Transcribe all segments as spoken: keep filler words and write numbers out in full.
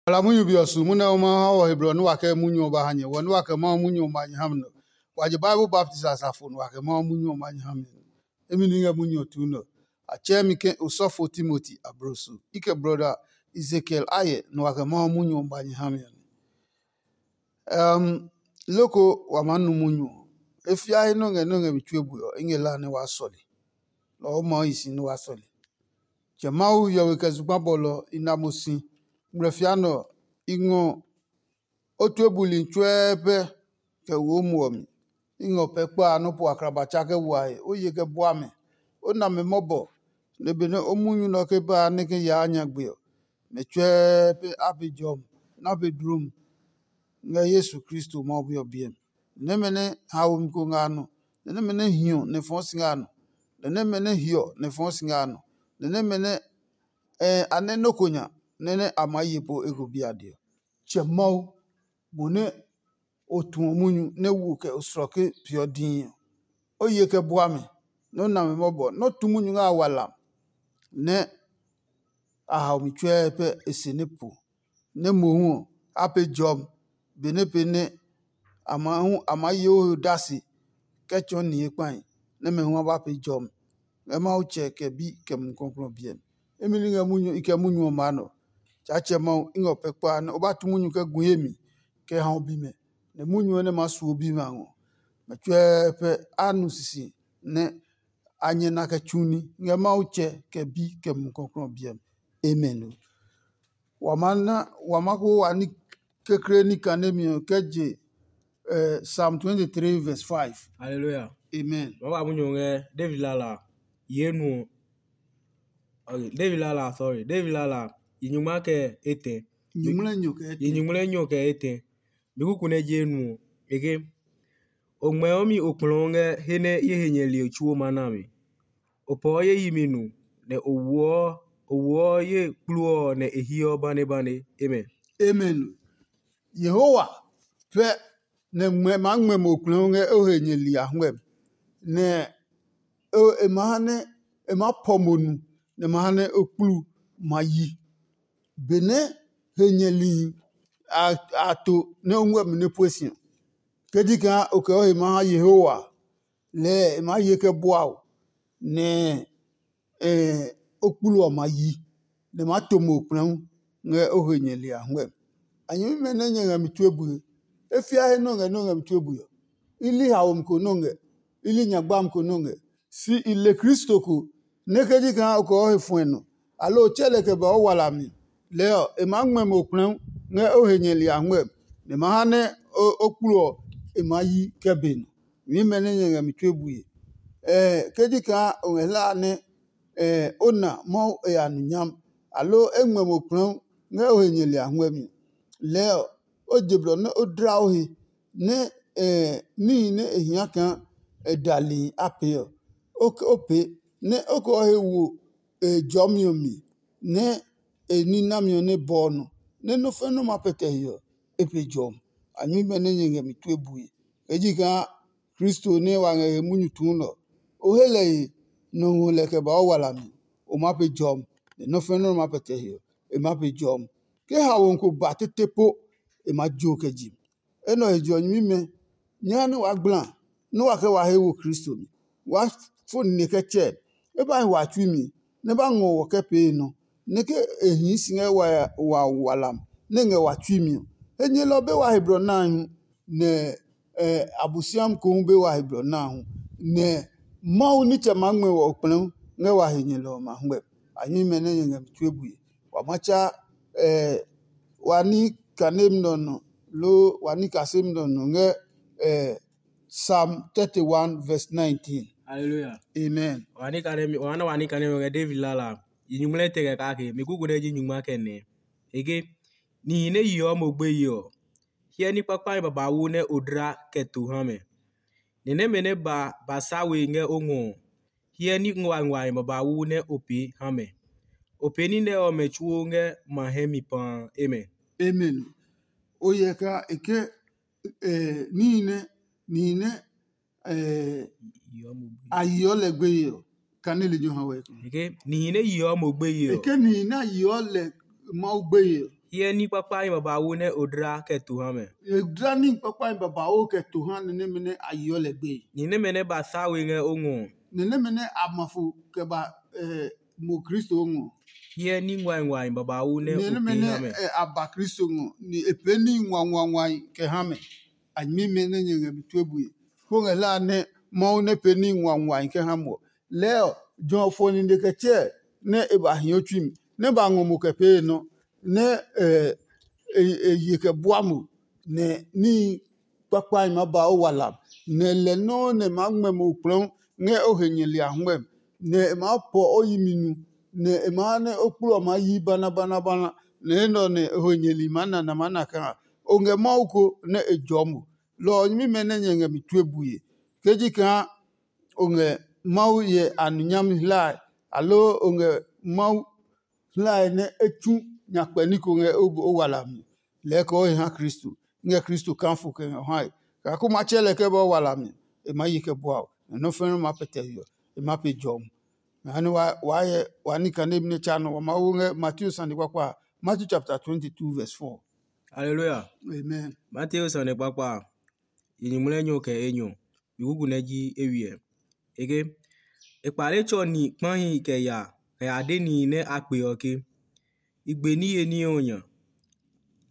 Bla munyu be ɔ su munyu nɛ ɔ ma ha wɔ he blɔ nɛ wa kɛ munyu ɔ ba ha nyɛ, wɔ nɛ wa kɛ Mawu munyu ɔ ma nyɛ ha mi nɔ. Wa je Bible baptist asafo nɛ wa kɛ Mawu munyu ɔ ma nyɛ ha mi nɔ. Emi ni ngɛ munyu ɔ tuu nɔ. A tsɛɛ mi ke osɔfo Timoti abloso. I kɛ brɔda Ezekiel ayɛ nɛ wa kɛ Mawu munyu ɔ ma nyɛ ha mi ɔ. Um, loko wa maa nu munyu ɔ. E fiae nɔ́ ngɛ nɔ́ ngɛ mi tue bue ɔ, i ngɛ la nɛ waa sɔle. Lɔ ɔ maa yi si nɛ waa sɔle. Tsɛ Mawu hiɔwe kɛ zugba bɔlɔ i na mo si. Ngmlɛ fia nɛ ɔ, i ngɔ o tue buli tsuɛɛ pɛ kɛ wo o muɔ mi. I ngɔ pɛ kpa a nɔ́ po akraba tsa kɛ wa he, o ye kɛ bua mɛ, o na mɛ mɔbɔ, nɛ benɛ o munyu nɛ ɔ ke ba a nɛ ke yaa nyagbe ɔ, mɛ tsuɛɛ pɛ a be jɔmi nɛ a be dlom ngɛ Yesu Kristo Mawu Bi ɔ biɛ mi. Nɛmɛ nɛ haomi ko ngɛ a nɔ, nɛ nɛmɛ nɛ hiɔ nɛ fɔɔ si ngɛ a nɔ, nɛ nɛmɛ nɛ hiɔ nɛ fɔɔ si ngɛ a nɔ, nɛ nɛmɛ nɛ a nɛ nɔ́ ko nya nɛ nɛ a maa ye po eko biade ɔ. Tsɛ Mawu, mo nɛ o tuɔ munyu nɛ wo kɛ o slɔke peeɔ dii ɔ, o ye kɛ bua mɛ, nɛ o na mɛ mɔbɔ, nɛ o tu munyu ngɛ a wa lam, nɛ a hao mi tsuɛɛ pɛ e se nɛ po, nɛ mohu ɔ, a pee jɔmi, benɛ pee nɛ a ma hu a maa ye o he odase kɛ tsɔɔ nihi kpahi, nɛ mɛ hu a ba pee jɔmi ngɛ Mawu Tsɛ kɛ Bi kɛ Mumi Klɔuklɔu ɔ biɛ mi. Imi ní ngɛ munyu i kɛ munyu ɔ maa nɔ. Tsaatsɛ Mawu, i ngɛ o pɛ kpa nɛ o ba tu munyu kɛ gu ye mi kɛ ha o bimɛ, nɛ munyu ɔ nɛ maa su o bimɛ a ngɔ. Mɛ tsuɛɛ pɛ a nu sisi nɛ a nyɛ na kɛ tsu ní ngɛ Mawu Tsɛ kɛ Bi kɛ Mumi Klɔuklɔu ɔ biɛ mi. Amen. Wa ma na wa ma ko wa ní kekle ní kanemi ɔ kɛ je eh, Psalm twenty-three verse five. Hallelujah. Amen. Wa ba munyu ngɛ David lala ye nu. Okay, David lala, sorry. David lala yi nyungma kɛ etɛ. Nyungmlɛ nyo kɛ Yi etɛ. Nyungmlɛ nyo kɛ etɛ. Mi kuku nɛ je nu. Eke. O ngmɛɔ mi okplɔɔ ngɛ he nɛ ye he nyɛ li tsuo ma na mi. O pɔɔ ye yi mi nu, nɛ o wuɔ o wuɔ ye kpluɔ nɛ e hiɔ banebane. Amen. Amen. Yehowa pɛ nɛ ngmɛ maa ngmɛ mo kplɛɔ ngɛ o he nyɛ li a huɛ, nɛ e ma ha nɛ e maa pɔ mo nu, nɛ ma ha nɛ o kplu ma yi. Benɛ he nyɛ li a to nɛ o ngɛ mi nɛ pue si ɔ, ke ji kaa o kɛ o he maa ha Yehowa, lɛɛ e maa ye kɛ bua o, nɛ o kplu ɔ ma yi, nɛ ma to mo kplɛ̃u ngɛ o he nyɛ li a huɛ. A nyɛmimɛ nɛ nyɛ ngɛ mi tue bue, e fia he nɔ́ ngɛ nɔ́ ngɛ mi tue bue ɔ, i li haomi ko nɔ́ ngɛ, i li nyagbami ko nɔ́ ngɛ, si i le Kristo ko nɛ ke ji kaa o kɛ o he fuɛ nɔ, aloo o tsɛ lɛ kɛ ba o wala mi. Lɛɛ ɔ, e maa ngmɛ mo kplɛ̃u ngɛ o he nyɛ li a huɛ, nɛ ma ha nɛ o kplu ɔ e maa yi kɛ be nɔ. Nyɛmimɛ nɛ nyɛ ngɛ mi tue bue, ke ji kaa o ngɛ hlaa nɛ o na Mawu e ya nu nyam, aloo e ngmɛ mo kplɛ̃u ngɛ o he nyɛ li a huɛ mi. Lɛɛ ɔ, o je blɔ nɛ o dla o he, nɛ níhi nɛ e hia kaa e dali a pee ɔ, o pee, nɛ o kɛ o he wo e jɔmi ɔ mi, nɛ e ní nami ɔ nɛ bɔ ɔ nɔ, nɛ nɔ́ fɛ́ nɔ́ ma pɛtɛ he ɔ, e pe jɔmi. A nyuimɛ nɛ nyɛ ngɛ mi tue bue, kɛ ji kaa Kristo nɛ wa ngɛ he munyu tuu nɛ ɔ, o he lɛ he nɔ ngɔ lɛ kɛ ba o wala mi, o maa pe jɔmi, nɛ nɔ́ fɛ́ nɔ́ nɛ ma pɛtɛ he ɔ, e maa pe jɔmi. Ke haomi ko ba tete po, e maa jo kɛ je mi. Enɛ ɔ he je ɔ, nyɛmimɛ, nyɛ ha nɛ waa gbla nɛ wa kɛ wa he wo Kristo mi. Waa fo nine kɛ tsɛ, e ba hi wa tsui mi, nɛ ba ngɔ wɔ kɛ pee nɔ, nɛ ke e hii si ngɛ wa wa walam nɛ ngɛ wa tsui mi ɔ, he nyɛlɔ be wa he blɔ na a hu, nɛ Abosiami ko hu be wa he blɔ na a hu, nɛ Mawu nitsɛ maa ngmɛ wɔ okplɛ̃ ngɛ wa he nyɛlɔ ɔ ma huɛ. A nyuimɛ nɛ nyɛ ngɛ mi tue bue. Wa ma tsa wa ní kanemi nɛ ɔ nɔ, loo wa ní kasemi nɛ ɔ nɔ ngɛ Psalm thirty-one verse nineteen. Hallelujah. Amen. Wa ní kanemi, wa na wa ní kanemi ngɛ David lala. Yi nyuŋmlɛ tɛ kɛ kake, mi kuku nɛ ji nyuŋma kɛ nɛ. Ege, nihi nɛ yeɔ mo gbeye ɔ, hiɛ ní kpakpahi babauu nɛ o dla kɛ to ha mɛ. Ni nɛmɛ nɛ ba ba sa we ngɛ o ngɔ ɔ, hyɛ ní nguanguahi babauu nɛ o pee ha mɛ. O pee ní nɛ ɔmɛ tsuo ngɛ ma hɛ mi paa. Amen. Amen. O hyɛ kaa e ke eh, níhi nɛ nihi nɛ eh, a yeɔ lɛ gbeye ɔ, kane lejɛ ha wɛ. Eke nihi nɛ yeɔ mo gbeye ɔ. Eke nihi nɛ a yeɔ lɛ Mawu gbeye ɔ, Hyɛ ní kpakpahi babauu nɛ o dla kɛ to ha mɛ. E dla ní kpakpahi babauu kɛ to ha ni nɛmɛ nɛ a yeɔ lɛ gbeye. Ni nɛmɛ nɛ ba sa we ngɛ o ngɔ ɔ. Ni nɛmɛ nɛ a ma fo kɛ ba mo Kristo ngɔ. Hyɛ ní nguahi babauu nɛ o pee ha mɛ. A ba Kristo ngɔ ni e pee ní nguanguanguahi kɛ ha mɛ. A nyɛmimɛ nɛ nyɛ ngɛ mi tue bue. Ko ngɛ hlaa nɛ Mawu nɛ pee ní nguanguahi kɛ ha mo. Lɛɛ ɔ, jɔ ɔ fɔ nine kɛ tsɛɛ nɛ e ba hio tsui mi, nɛ ba ngɔ mo kɛ pee nɔ, nɛ e ye kɛ bua mo, nɛ níhi kpakpahi maa ba o walam, nɛ lɛ nɔuu nɛ maa ngmɛ mo kplɔɔ ngɛ o he nyɛli a huɛ mi, nɛ e maa pɔ o yi mi nu, nɛ e maa ha nɛ o kplu ɔ maa yi bana bana bana, nɛ enɛ ɔ nɛ o he nyɛli maa na na maa na kaa o ngɛ Mawu ko nɛ e jɔɔ mo. Lɔ ɔ nyɛmimɛ nɛ nyɛ ngɛ mi tue bue, ke ji kaa o ngɛ Mawu hyɛ a nu nyami hlae, aloo o ngɛ Mawu hlae nɛ e tsu nyakpɛ ní ko ngɛ o wala mi, lɛɛ kɛ o he ha Kristo, ngɛ Kristo kaa fo kɛ ngɛ o hae. Kaa ko ma tsɛ lɛ kɛ ba o wala mi, e maa ye kɛ bua o, nɛ nɔ́ fɛ̃ nɔ́ maa pɛtɛ we ɔ, e maa pe jɔmi. Mɛ ha nɛ waa hyɛ wa ní kane nɛ tsa nɔ wa maa wo ngɛ Mateo sane kpakpa a, Matthew chapter twenty two verse four. Haleluya. Amen. Mateo sane kpakpa a, yi nyumu lɛ nyɔ kɛ enyɔ, yi kuku nɛ ji eywiɛ. E ke, e kpale tsɔ ni kpahi kɛ ya kɛ ya de nihi nɛ a kpe ɔ ke, i gbe niye ní ɔ nya.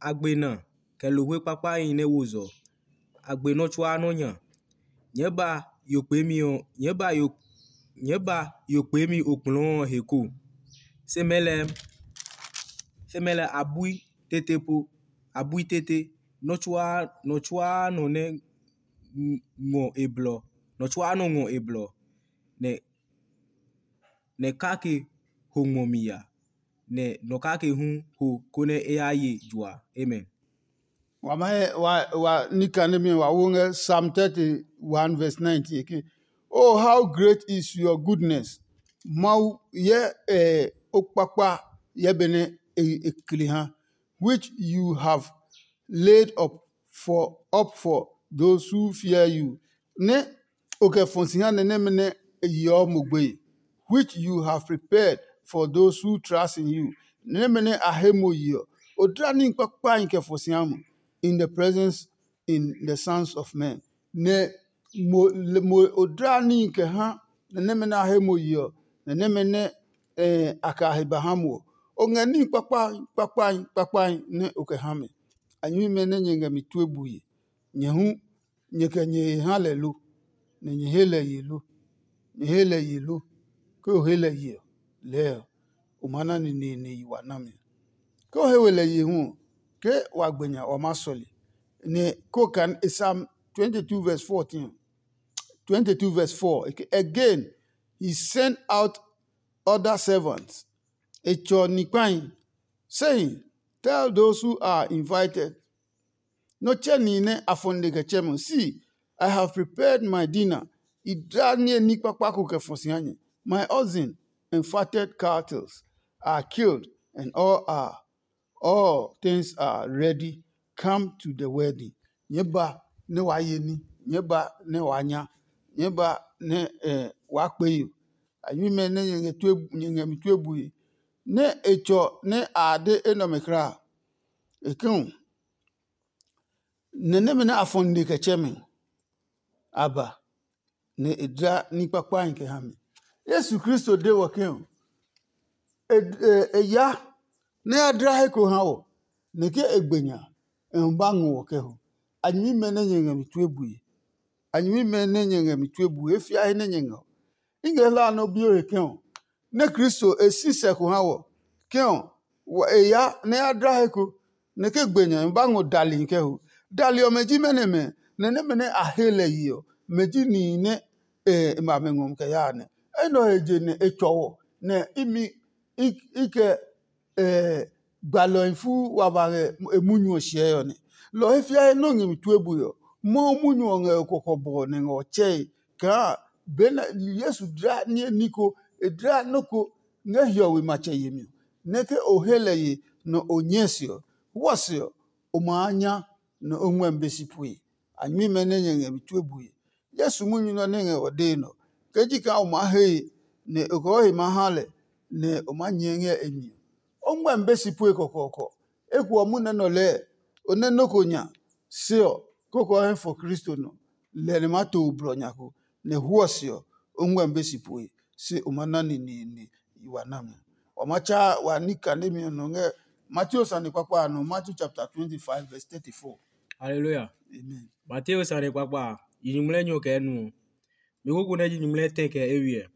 A gbe na kɛ lohwe kpakpahi nɛ wo zɔ. A gbe nɔ́ tsuaa nɔ́ nya. Nyɛɛ ba yo kpeemi ɔ, nyɛɛ ba yo nyɛɛ ba yo kpeemi okplɔɔ ɔ he ko. Se mɛ lɛɛ se mɛ lɛɛ a bui tete po, a bui tete. Nɔ́ tsuaa nɔ tsuaa nɔ nɛ ngɔ e blɔ, nɔ tsuaa nɔ ngɔ e blɔ, nɛ nɛ kake ho ngmɔ mi ya, nɛ nɔ kake hu ho konɛ e ya ye jua. Amen. Wa ma he wa wa nika nemi wa wo ngɛ Psalm thirty-one verse nineteen ke, "Oh, how great is your goodness." Mawu ye eh, okpakpa ye bene e, e kli ha, which you have laid up for up for those who fear you. Ne o kɛ fɔ si ha nɛ nɛmɛ nɛ e yeɔ mo gbeye, which you have prepared for those who trust in you. Nɛmɛ nɛ a he mo yeɔ, o dla ní kpakpahi kɛ fɔ si ha mo in the presence in the sons of men. Nɛ mo mo o dla ní kɛ ha nɛ nɛmɛ nɛ a he mo yeɔ, nɛ nɛmɛ nɛ eh, a kɛ a he ba ha mo ɔ, o ngɛ ní kpakpahi kpakpahi kpakpahi nɛ o kɛ ha mɛ. A nyɛmimɛ nɛ nyɛ ngɛ mi tue bue, nyɛ hu nyɛ kɛ nyɛ he ha lɛ lo, nɛ nyɛ he lɛ ye lo? Nyɛ he lɛ ye lo? Ke o he lɛ ye ɔ, lɛɛ ɔ, o maa na neneene yi wa nami. Ke o he we lɛ ye hu ɔ, ke wa gbe nya wa maa sɔle. Nɛ ko kan Psalm twenty-two verse fourteen, twenty-two verse four, again, he sent out other servants, e tsɔ ni kpahi, saying, "Tell those who are invited, nɔ tsɛ nihi nɛ a fɔ nine kɛ tsɛ mo, see, I have prepared my dinner. I dla niye ní kpakpa ko kɛ fɔ si ha nyɛ. My oxen and fatted cattles are killed, and all are all things are ready. Come to the wedding." Nyɛɛ ba nɛ waa ye ní, nyɛɛ ba nɛ waa nya, nyɛɛ ba nɛ waa kpe yo. A nyuimɛ nɛ nyɛ ngɛ mi tue bue, nɛ e tsɔ nɛ a de enɛ ɔmɛ kulaa. E ke hu, nɛ nɛmɛ nɛ a fɔ nine kɛ tsɛ mi a ba, nɛ e dla ní kpakpahi kɛ ha mi. Yesu Kristo de wɔ ke ɔ, e ya nɛ ya dla he ko ha wɔ, nɛ ke e gbe nya, e hu ba ngɔ wɔ kɛ ho. A nyɛmimɛ nɛ nyɛ ngɛ mi tue bue, a nyɛmimɛ nɛ nyɛ ngɛ mi tue bue, e fia he nɛ nyɛ ngɛ ɔ. I ngɛ hlaa nɛ o bi o he ke ɔ, nɛ Kristo e si sɛ ko ha wɔ, ke ɔ, e ya nɛ ya dla he ko, nɛ ke gbe nya ba ngɔ dalihi kɛ ho. Dali ɔmɛ ji mɛnɔ mɛ? Nɛ nɛmɛ nɛ a he lɛ ye ɔ, mɛ ji nihi nɛ e ma mɛ ngɔ kɛ yaa nɛ. Enɛ ɔ he je nɛ e tsɔ wɔ, nɛ imi i kɛ gbalɔhi fuu wa ba ngɛ e munyu ɔ hyɛe ɔ nɛ. Lɔ ɔ he fiae nɔ́ ngɛ mi tue bue ɔ, Mawu munyu ɔ ngɛ e kɔkɔbɔ nɛ ngɛ ɔ tsɛe kaa benɛ Yesu dla niye ní ko, e dla nɔ́ ko ngɛ hiɔwe matsɛ yemi ɔ, nɛ ke o he lɛ ye nɛ o nyɛɛ se ɔ, wɔ se ɔ, o maa nya nɛ o ngmɛmi be si pue. A nyɛmimɛ nɛ nyɛ ngɛ mi tue bue. Yesu munyu nɛ nɛ ngɛ ɔ dee nɔ. Ke ji kaa o maa he ye, nɛ o kɛ o he maa ha lɛ, nɛ o maa nyɛɛ ngɛ e mi ɔ, o ngmɛmi be si pue kɔkɔɔkɔ. Eko ɔ munɛ nɔ lɛɛ, o nɛ nɔ́ ko nya se ɔ, koko ɔ hɛ fɔ Kristo nɔ, lɛ nɛ ma to o blɔ nya ko, nɛ huɔ se ɔ, o ngmɛmi be si poe, se o ma na neneene yi wa nami. Wa ma tsa wa ní kanemi ɔ nɔ ngɛ Mateo sane kpakpa a nɔ, Matthew chapter twenty-five verse thirty-four. Hallelujah. Amen. Mateo sane kpakpa a, yi nyuŋmlɛ nyɔ kɛ nu ɔ. Mi koko nɛ ji nyuŋmlɛ tɛ kɛ eywiɛ.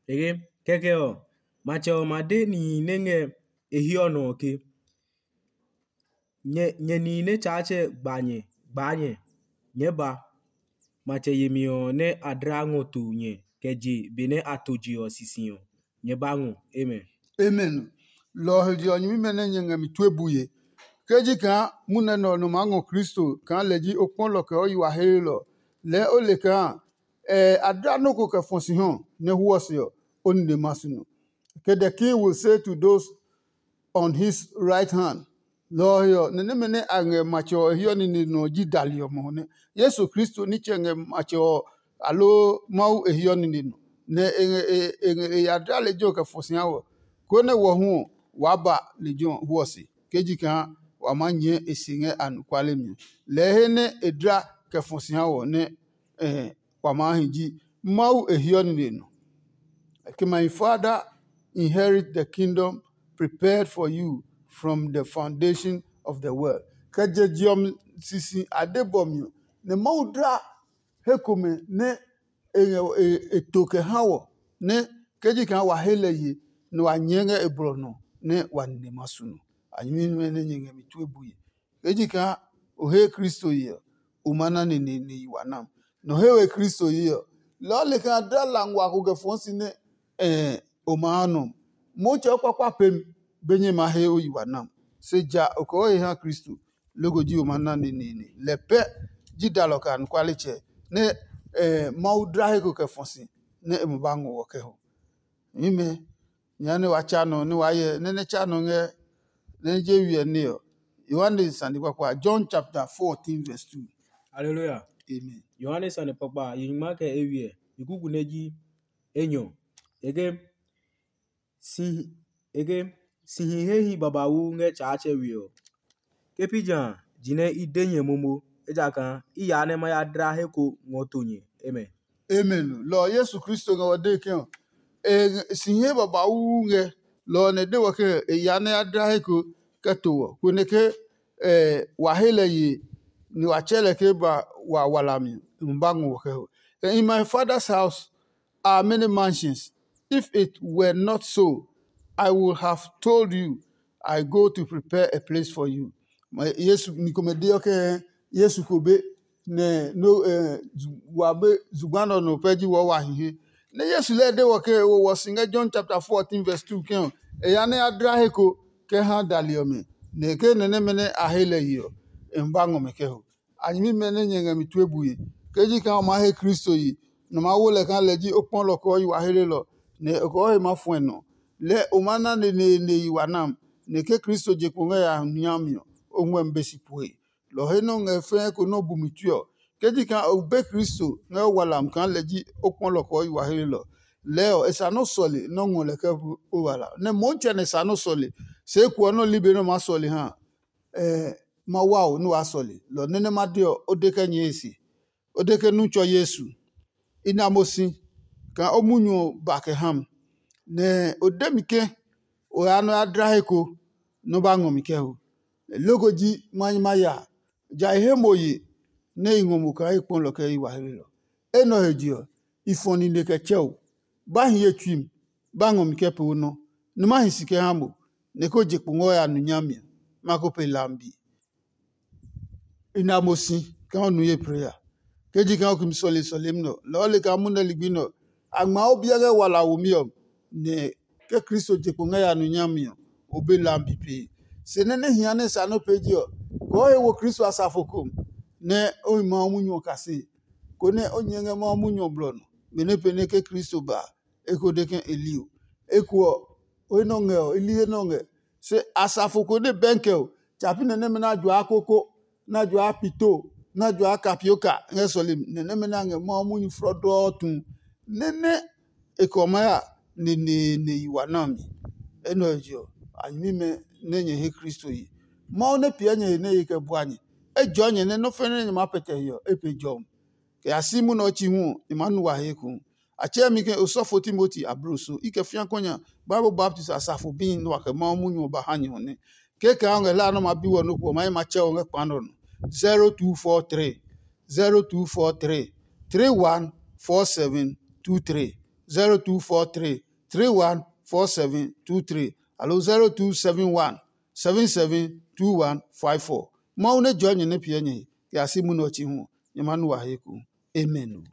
Ege, kɛkɛ ɔ, matsɛ ɔ ma de nihi nɛ ngɛ e hiɔ nɔ ɔ ke, nyɛ, nyɛ nihi nɛ Tsaatsɛ gba nyɛ, gbaa nyɛ, nyɛɛ ba. Matsɛ yemi ɔ nɛ a dla ngɔ to nyɛ kɛ je benɛ a to je ɔ sisi ɔ, nyɛ ba ngɔ. Amen. Amen. Lɔ ɔ he je ɔ, nyɛmimɛ nɛ nyɛ ngɛ mi tue bue. Ke ji kaa munɛ nɛ ɔ nɔ maa ngɔ Kristo kaa lɛ ji okpɔlɔ kɛ o yi wa helelɔ, lɛɛ o le kaa a dla nɔ́ ko kɛ fɔ si hɔ nɛ huɔ se ɔ, o nine ma su nɔ. Ke the king will say to those on his right hand, lɔ ɔ he ɔ, nɛ nɛmɛ nɛ a ngɛ matsɛ ɔ e hiɔ nine nɔ ɔ ji dali ɔ mohu nɛ. Yesu Kristo nitsɛ ngɛ matsɛ ɔ aloo Mawu e hiɔ nine nɔ, nɛ e ngɛ e e ngɛ e ya dla lejɛ ɔ kɛ fɔ si ha wɔ, konɛ wɔ hu ɔ, waa ba lejɛ ɔ huɔ se, ke ji kaa wa maa nyɛɛ e se ngɛ anɔkuale mi ɔ. Lɛɛ he nɛ e dla kɛ fɔ si ha wɔ nɛ wa maa hi ji Mawu e hiɔ nine nɔ. Ke my father inherit the kingdom prepared for you from the foundation of the world. Kɛ je je ɔ sisi a de bɔ mi ɔ, nɛ Mawu dla he komɛ nɛ e ngɛ e to kɛ ha wɔ, nɛ ke ji kaa wa he lɛ ye, nɛ wa nyɛɛ ngɛ e blɔ nɔ, nɛ wa nine ma su nɔ. A nyɛmimɛ nɛ nyɛ ngɛ mi tue bue. Ke ji kaa o he Kristo ye ɔ, o ma na neneene yi wa nam. Nɔ he we Kristo ye ɔ, lɔ ɔ le kaa dla la nguaa ko kɛ fɔɔ si nɛ o ma ha nɔ. Motsɛ o kpakpa pem be nyɛ ma he o yi wa nam. Se ja o kɛ o he ha Kristo, loko ji o ma na neneene. Lɛ pɛ ji dalɔ kɛ anɔkualetsɛ nɛ Mawu dla he ko kɛ fɔ si nɛ e ma ba ngɔ wɔ kɛ ho. Nyɛmimɛ, nya nɛ wa tsa nɔ nɛ waa hyɛ nɛ nɛ tsa nɔ ngɛ nɛ je wiɛ ní ɔ, Yohane sane kpakpa, John chapter fourteen verse two. Hallelujah. Amen. Yohane sane kpakpa yi nyingma kɛ eywiɛ, yi kuku nɛ ji enyɔ. E ke si e ke si hi he hi babauu ngɛ Tsaatsɛ we ɔ. Ke pi jã a, jinɛ i de nyɛ momo, ejakaa i yaa nɛ ma ya dla he ko ngɔ to nyɛ. Amen. Amen. Lɔ ɔ Yesu Kristo ngɛ wɔ dee ke ɔ, e ngɛ- si hɛ babauu ngɛ lɔ ɔ nɛ e de wɔ ke e yaa nɛ ya dla he ko kɛ to wɔ, konɛ ke wa he lɛ yee, nɛ wa tsɛ lɛ ke ba wa walami ɔ, e ma ba ngɔ wɔ kɛ ho. In my father's house are many mansions. If it were not so, I would have told you, I go to prepare a place for you. Yesu ni komɛ deɔ ke Yesu ko be nɛ no wa be zugba nɔ nɔ pɛ ji wɔ wa hi he. Nɛ Yesu lɛ de wɔ ke wo wɔ si ngɛ John chapter fourteen verse two ke ɔ, e ya nɛ ya dla he ko kɛ ha dali ɔmɛ, nɛ ke nɛ nɛmɛ nɛ a he lɛ yi ɔ, e ba ngɔ mɛ kɛ ho. A nyɛmimɛ nɛ nyɛ ngɛ mi tue bue. Ke ji kaa o maa he Kristo yi, nɛ o maa wo lɛ kaa lɛ ji o kpɔlɔ kɔɔ yi wa helelɔ, nɛ o kɔɔ he maa fuɛ nɔ. Lɛɛ o maa na neneene yi wa nam, nɛ ke Kristo je kpo ngɛ ya nu nya mi ɔ, o ngmɛmi be si pue. Lɔ ɔ he nɔ́ ngɛ fɛɛ ko nɔ́ bu mi tue ɔ, ke ji kaa o be Kristo ngɛ o walam kaa lɛ ji o kpɔlɔ kɔɔ yi wa helelɔ. Lɛɛ ɔ, e sa nɔ́ sɔle nɔ́ ngɔ lɛ kɛ bu o wala. Nɛ Motsɛ nɛ sa nɔ́ sɔle, se ekuɔ nɔ́ li be nɛ o maa sɔle ha. Ɛ ma wa o nɛ waa sɔle. Lɔ ɔ nɛ nɛ ma de ɔ, o de kɛ nyɛɛ e se. O de ke nu tsɔ Yesu. I na mo si kaa o munyu ɔ ba kɛ ha mi. Nɛ o de mi ke o ya nɔ ya dla he ko nɛ o ba ngɔ mi kɛ ho. Loko ji ma nyi ma ya, ja i he mo ye nɛ i ngɔ mo kaa i kpɔ lɔ kɛ i wa helelɔ. Enɛ ɔ he je ɔ, i fɔ nine kɛ tsɛ o. Ba hi ye tsui mi, ba ngɔ mi kɛ pee o nɔ, nɛ ma hi si kɛ ha mo, nɛ ko je kpo ngɛ o ya nu nyami ɔ, ma ko pe lambi. I na mo si kaa o nu ye plee a. Ke ji kaa o kimi sɔle sɔlemi nɛ ɔ, lɔɔ le kaa munɛ ligbi nɛ ɔ, a ngma o biɛ ngɛ wala womi ɔ, nɛ ke Kristo je kpo ngɛ ya nu nyami ɔ, o be lambi pee. Se nɛ nɛ hia nɛ sa nɔ́ pee je ɔ, kɔɔ he wo Kristo asafo ko, nɛ o hi Mawu munyu ɔ kasii, konɛ o nyɛ ngɛ Mawu munyu ɔ blɔ nɔ, benɛ pee nɛ ke Kristo ba a, e ko de ke e li o. Eko ɔ, o he nɔ ngɛ ɔ, i li he nɔ ngɛ. Se asafo ko nɛ bɛnkɛ o, tsa pi nɛ nɛmɛ nɛ a juaa koko, nɛ a juaa pito, nɛ a juaa kapioka ngɛ sɔlemi, nɛ nɛmɛ nɛ a ngɛ Mawu munyu flɔdɔɔtu, nɛ nɛ e kɛ ɔ maa ya neneene yi wa na mi. Enɛ ɔ je ɔ, a nyɛmimɛ nɛ nyɛ he Kristo yi. Mawu nɛ piɛ nyɛ he nɛ e kɛ bua nyɛ. Ejɔɔ nyɛ nɛ nɔ́ fɛnɛ nɛ nyɛ maa pɛtɛ he ɔ, e pe jɔmi. Kɛ ya si munɛ ɔ chi hu ɔ, nyɛ maa nu wa he ekohu. A tsɛɛ mi ke osɔfo Timoti abloso i kɛ fia kɔnya Bible baptist asafo bihi nɛ wa kɛ Mawu munyu ɔ ba ha nyɛ ɔ nɛ. Kekɛ a ngɛ hlaa nɛ ma bi wɔ nɔ́ ko ɔ, ma ye ma tsɛ ɔ ngɛ kpa nɛ ɔ nɔ. zero two four three zero two four three three one four seven two three zero two four three three one four seven two three aloo zero two seven one seven seven two one five four. Mawu nɛ jɔɔ nyɛ nɛ piɛ nyɛ he kɛ ya si munɛ ɔ chi hu ɔ, nyɛ ma nu wa he ku. Amen.